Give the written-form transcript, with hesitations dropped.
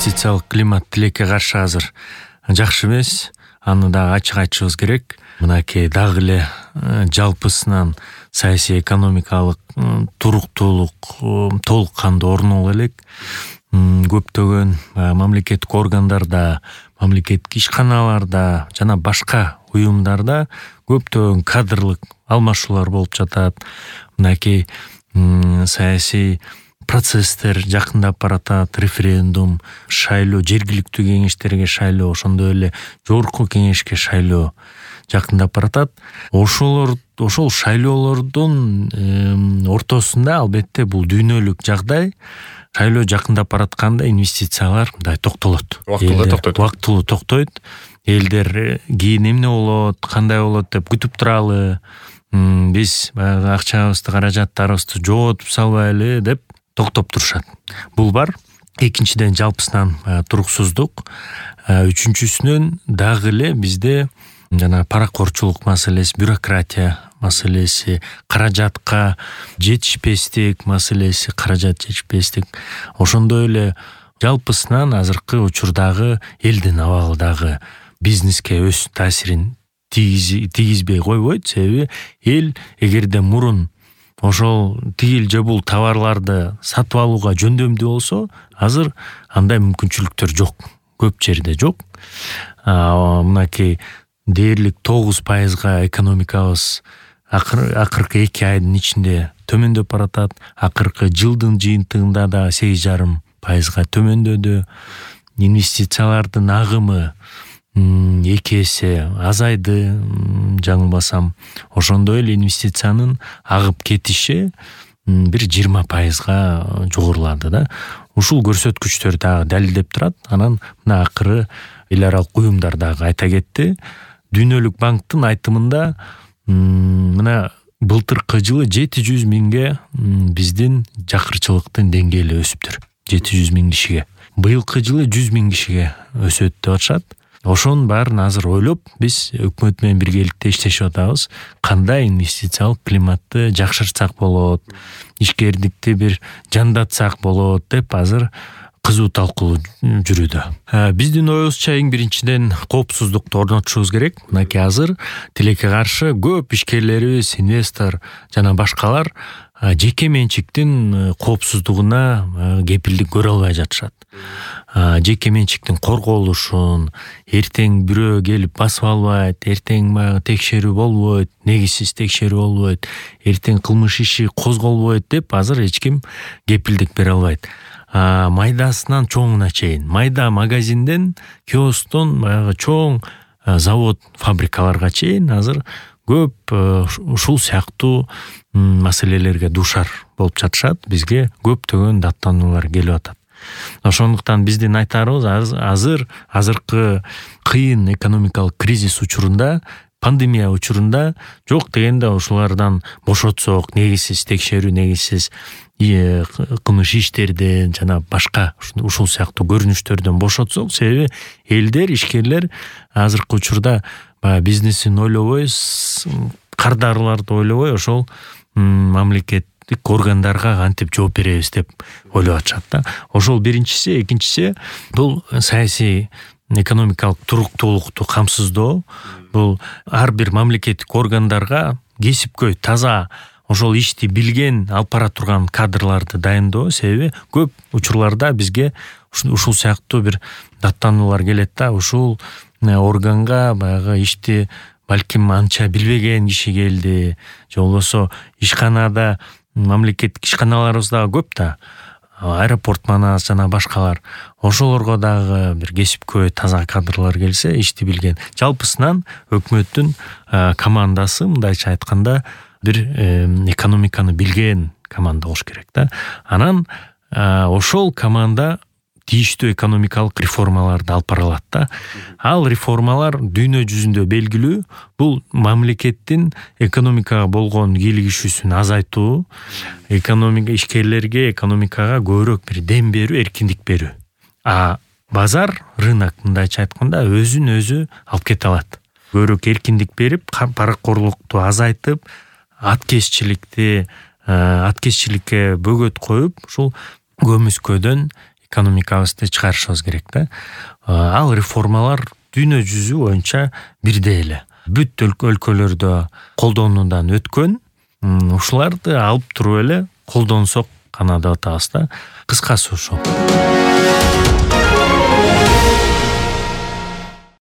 инвестициялык климат тилекке каршы азыр жакшы эмес. Аны да ачык айтышыбыз керек. Мынакей дагы эле жалпысынан саясий экономикалык туруктуулук толук кандуу орноло элек. Көптөгөн мамлекеттик органдарда, мамлекеттик ишканаларда жана башка уюмдарда көптөгөн кадрлык алмашуулар болуп жатат. Мынакей саясий процесстер жакындап баратат. Референдум, шайлоо, жергиликтүү кеңештерге шайлоо, ошондой эле жогорку кеңешке шайлоо жакындап баратат. Ошол шайлоолордун ортосунда албетте бул дүйнөлүк жагдай. Шайлоо жакындап баратканда инвестициялар мындай токтолот. Убактылуу токтойт. Элдер кийин эмне болот, кандай болот деп күтүп туралы. Биз акчабызды, каражаттарыбызды жоготуп салбайлы деп токтоп турушат. Бул бар. Экинчиден жалпысынан туруксуздук. Үчүнчүсүнөн дагы эле бизде жана паракорчулук маселеси, бюрократия маселеси, каражатка жетишпестик маселеси, каражат жетишпестик. Ошондой эле жалпысынан азыркы учурдагы элдин абалы дагы бизнеске өз таасирин тийгизбей койбойт. Себеби эл эгерде мурун ошол тигил же бул товарларды сатып алууга жөндөмдүү болсо, азыр андай мүмкүнчүлүктөр жок. Көп жерде жок. Мынакей дээрлик 9% экономикабыз акыркы 2 айдын ичинде төмөндөп баратат. Акыркы жылдын жыйынтыгында да 8,5% төмөндөдү. Инвестициялардын агымы 2 эсе азайды, жаңылбасам. Ошондой эле инвестициянын агып кетиши бир 20%га жогорулады да. Ушул көрсөткүчтөр дагы далилдеп турат. Анан мына акыры эл аралык уюмдар дагы айта кетти. Дүйнөлүк банктын айтымында мына былтыркы жылы 700 миңге биздин жакырчылыктын деңгээли өсүптүр. 700 миң кишиге. Быйылкы жылы 100 миң кишиге өсөт деп атышат. Ошонун баарын азыр ойлоп, биз өкмөт менен биргеликте иштешип атабыз. Кандай инвестициялык климатты жакшыртсак болот, ишкердикти бир жандатсак болот деп азыр кызуу талкуу жүрүүдө. Биздин оюбузча эң биринчиден коопсуздукту орнотушубуз керек. Мынакей азыр тилекке каршы көп ишкерлерибиз, инвестор жана башкалар жеке менчиктин коопсуздугуна кепилдик көрө албай жатышат. Жеке менчиктин корголушун, эртең бирөө келип басып албайт, эртең текшерүү болбойт, негизсиз текшерүү болбойт, эртең кылмыш иши козголбойт деп азыр эч ким кепилдик бере албайт. Майдасынан чоңуна чейин, майда магазинден, киосктон чоң завод, фабрикаларга чейин азыр көп ушул сыяктуу маселелерге дуушар болуп жатышат. Бизге көптөгөн даттануулар келип атат. Ошондуктан биздин айтарыбыз азыркы кыйын экономикалык кризис учурунда, пандемия учурунда жок дегенде ушулардан бошотсок, негизсиз текшерүү, негизсиз кылмыш иштерден жана башка ушул сыяктуу көрүнүштөрдөн бошотсок. Себеби элдер, ишкерлер азыркы учурда бизнесин ойлобой, кардарларды ойлобой, ошол мамлекеттик органдарга кантип жооп беребиз деп ойлоп атышат да. Ошол биринчиси. Экинчиси бул саясий экономикалык туруктуулукту камсыздоо. Бул ар бир мамлекеттик органдарга кесипкөй, таза ошол ишти билген, алып бара турган кадрларды дайындоо. Себеби көп учурларда бизге ушул сыяктуу бир даттануулар келет да. Ушул органга баягы ишти балким анча билбеген киши келди, же болбосо ишканада, мамлекеттик ишканаларыбыз дагы көп да. Аэропорт манас жана башкалар. Ошолорго дагы бир кесипкөй, таза кадрлар келсе, ишти билген. Жалпысынан өкмөттүн командасы, мындайча айтканда, бир экономиканы билген команда болуш керек да. Анан ошол команда тийиштүү экономикалык реформаларды алып бара алат да. Ал реформалар дүйнө жүзүндө белгилүү. Бул мамлекеттин экономикага болгон кийлигишүүсүн азайтуу, экономика ишкерлерге, экономикага көбүрөөк бир дем берүү, эркиндик берүү. Базар, рынок мындайча айтканда өзүн өзү алып кете алат. Көбүрөөк эркиндик берип, паракорлукту азайтып, аткезчиликке бөгөт коюп, ушул көмүскөдөн экономикабызды чыгарышыбыз керек да. Ал реформалар дүйнө жүзү боюнча бирдей эле. Бүт өлкөлөрдө колдонуудан өткөн, ушуларды алып туруп эле колдонсок гана деп атабыз да. Кыскасы ошол.